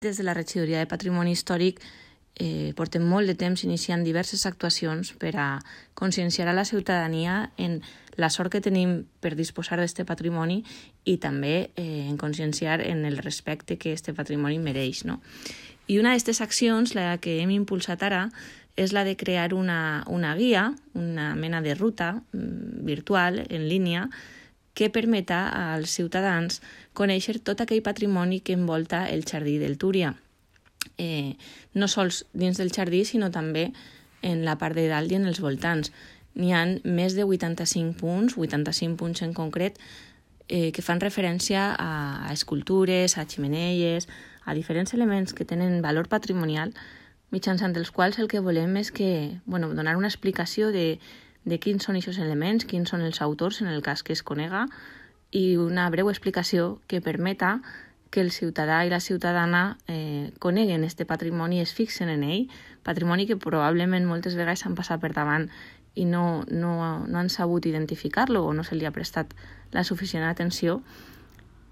Des de la Regidoria de Patrimoni Històric portem molt de temps iniciant diverses actuacions per a conscienciar a la ciutadania en la sort que tenim per disposar d'aquest patrimoni i també en conscienciar en el respecte que aquest patrimoni mereix, no? I una d'aquestes accions, la que hem impulsat ara, és la de crear una guia, una mena de ruta virtual, en línia, que permeta als ciutadans conèixer tot aquell patrimoni que envolta el jardí del Túria. No sols dins del jardí, sinó també en la part de dalt i en els voltants. N'hi ha més de 85 punts en concret, que fan referència a escultures, a ximeneies, a diferents elements que tenen valor patrimonial, mitjançant els quals el que volem és donar una explicació de quins són aquests elements, quins són els autors en el cas que es conega, i una breu explicació que permeta que el ciutadà i la ciutadana coneguen aquest patrimoni i es fixen en ell, patrimoni que probablement moltes vegades s'han passat per davant i no han sabut identificar-lo o no se li ha prestat la suficient atenció,